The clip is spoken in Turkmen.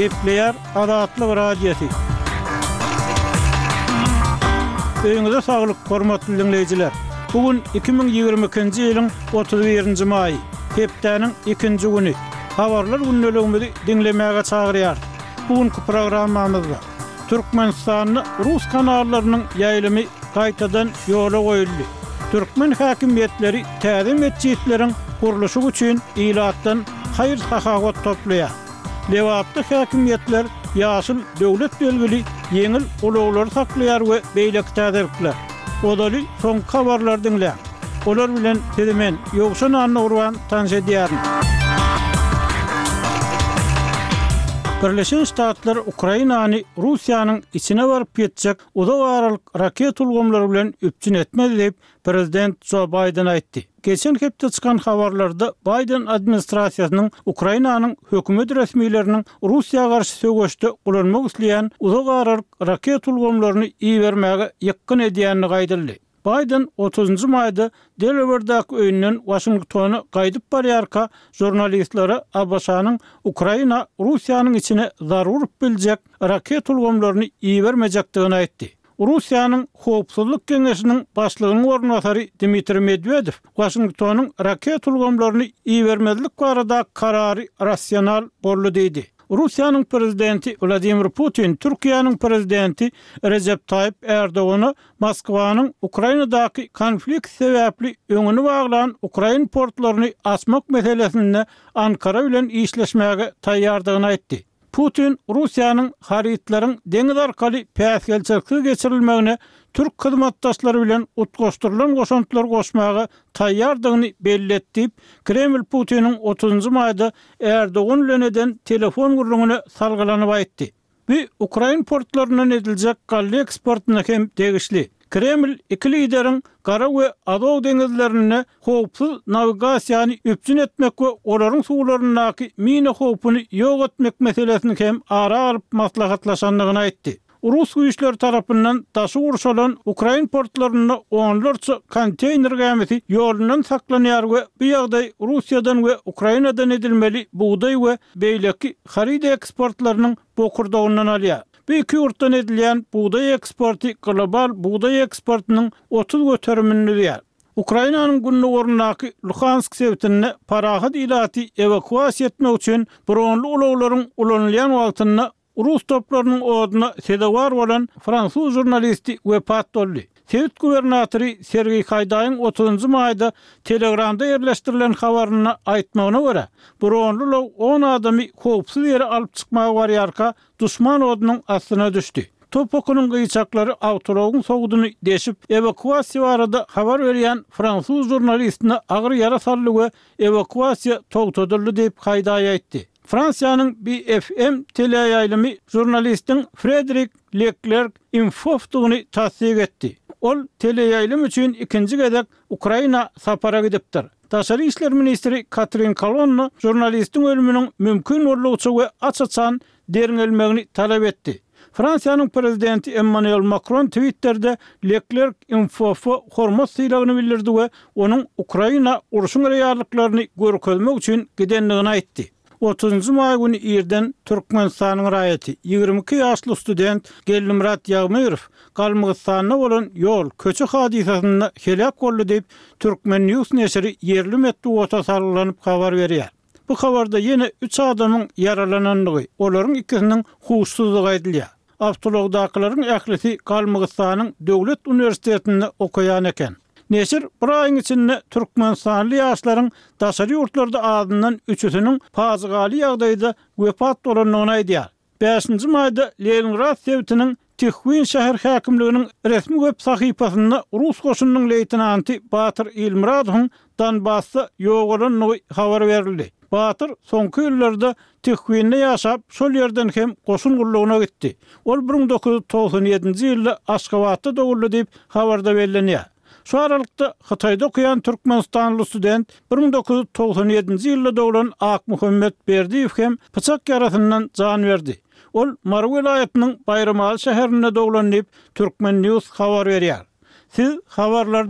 Gepleýär Azatlyk Radiosy. Öýüňize saglyk, hormatly diňleýjiler! Bu gün 2022-nji ýylyň 31-nji maýy, hepdäniň ikinji güni. Habarlar gündeligimizi diňlemäge çagyrýarys. Bu günki programmamyzda Türkmenistanda rus kanallarynyň ýaýlymy gaýtadan ýola goýuldy. Türkmen häkimiýetleri täze metjitleriň gurluşygy üçin ilatdan haýyr-sahawat toplaýar. Lebapda häkimiýetler ýaşyl döwlet belgili ýeňil ulaglary saklaýar we beýleki täzelikler. Ozaly soňky habarlary diňläň. Olar bilen sizi men, Ýowşan Annagurban tanyş edýärin. Birleşen Ştatlar Ukrainany Russiýanyň içine baryp ýetjek uzak aralyk raket ulgamlary bilen üpjün etmez diýip, prezident Jo Baýden aýtdy. Geçen hepde çykan habarlarda Baýden administrasiýasynyň Ukrainanyň hökümet resmileriniň Russiýa garşy söweşde ulanmak isleýän uzak aralyk raket ulgamlaryny ibermäge ýykgyn edýändigi aýdyldy. Baýden otuzynjy maýda Delawerdäki öýünden Waşingtona gaýdyp barýarka žurnalistlere ABŞ-nyň Ukraina Russiýanyň içine zarba urup biljek raket ulgamlaryny ibermejekdigini aýtdy. Russiýanyň Howpsuzlyk geňeşiniň başlygynyň orunbasary Dmitriý Medwedew Waşingtonyň raket ulgamlaryny ibermezlik baradaky karary rasional boldy diýdi. Russiýanyň prezidenti Wladimir Putin Türkiýäniň prezidenti Rejep Taýyp Ärdogana Moskwanyň Ukrainadaky konflikt sebäpli öňüni baglan ukrain portlaryny açmak meselesinde Ankara bilen işleşmäge taýýardygyny aýtdy. Putin Russiýanyň harytlaryň deňiz arkaly päsgelçiliksiz geçirilmegine türk hyzmatdaşlary bilen utgaşdyrylan goşantlar goşmaga taýýardygyny belli etdi diýip, Kreml Putiniň otuzynjy maýda Ärdogan bilen eden telefon gürrüňine salgylanyp aýtdy. Bu ukrain portlaryndan ediljek galla eksportyna hem degişli. Kreml iki lideriň Gara we Azow deňizlerinde howpsuz nawigasiýany üpjün etmek we olaryň suwlaryndaky mina howpuny ýok etmek meselesini hem ara alyp maslahatlaşandygyny aýtdy. Rus güýçleri tarapyndan daşy gurşalan ukrain portlarynda onlarça konteýner gämisi ýolundan saklanýar we bu ýagdaý Russiýadan we Ukrainadan edilmeli bugdaý we beýleki haryt eksportlarynyň bokurdagyndan alýar. Bu iki ýurtdan edilýän bugdaý eksporty global bugdaý eksportynyň 30 göterimini düzýär. Ukrainanyň gündogaryndaky Luhansk sebitinde parahat ilaty ewakuasiýa etmek üçin bronly ulaglaryň ulanylýan wagtynda Rus toplarynyň oduna sezewar bolan fransuz žurnalisti wepat boldy. Sebit gubernatory Sergeý Haýdaýyň otuzynjy maýda Telegramda ýerleşdirilen habarynda aýtmagyna görä, bronly ulag on adamy howpsuz ýere alyp çykmaga barýarka, duşman odunyň astyna düşdi. Top okunyň gyýçaklary awtoulagyň sowudyny deşip, ewakuasiýa barada habar berýän fransuz žurnalistine agyr ýara saldy we ewakuasiýa togtadyldy diýip, Haýdaý aýtdy. Fransiýanyň BFM teleýaýlymy žurnalistiň Frederik Leklerk Imfofdygyny tassyk etdi. Ol teleýaýlym üçin ikinji gezek Ukraina sapara gidipdir. Daşary işler ministri Katrin Kolonna žurnalistiň ölüminiň mümkin boldugyça we aç-açan derňelmegini talap etdi. Fransiýanyň prezidenti Emmanuel Makron Twitterde Leklerk Imfofa hormat sylagyny bildirdi we onuň Ukraina urşuň reallyklaryny görkezmek üçin gidendigini aýtdy. Otuzynjy maý güni irden Türkmenistanyň raýaty, 22 ýaşly student Geldimyrat Ýagmyrow Galmygystanda bolan ýol, köçe hadysasynda heläk boldy diýip, Turkmen. News neşiri ýerli metbugata salgylanyp habar berýär. Bu habarda ýene üç adamyň ýaralanandygy, olaryň ikisiniň huşsuzdygy aýdylýar. Awtoulagdakylaryň ählisi Galmygystanyň döwlet uniwersitetinde okaýan eken. Neşir bir aýyň içinde türkmenistanly ýaşlaryň daşary ýurtlarda azyndan üçüsiniň pajygaly ýagdaýda wepat bolandygyny aýdýar. Bäşinji maýda Leningrad sebitiniň Tihwin şäher häkimliginiň resmi web sahypasynda rus goşunynyň leýtenanty Batyr Ilmyradowyň Donbasda ýogalandygy habar berildi. Batyr soňky ýyllarda Tihwinde ýaşap, şol ýerden hem goşun gullugyna gitdi. Ol 1997-nji ýylda Aşgabatda doguldy diýip, habarda bellenýär. Şu aralykda, Hytaýda okaýan türkmenistanly student, 1997-nji ýylda doglan Akmuhammet Berdiýew hem pyçak ýarasyndan jan berdi. Ol Mary welaýatynyň Baýramaly şäherinde doglan diýip, Turkmen. News habar berýär. Siz habarlary diňläp.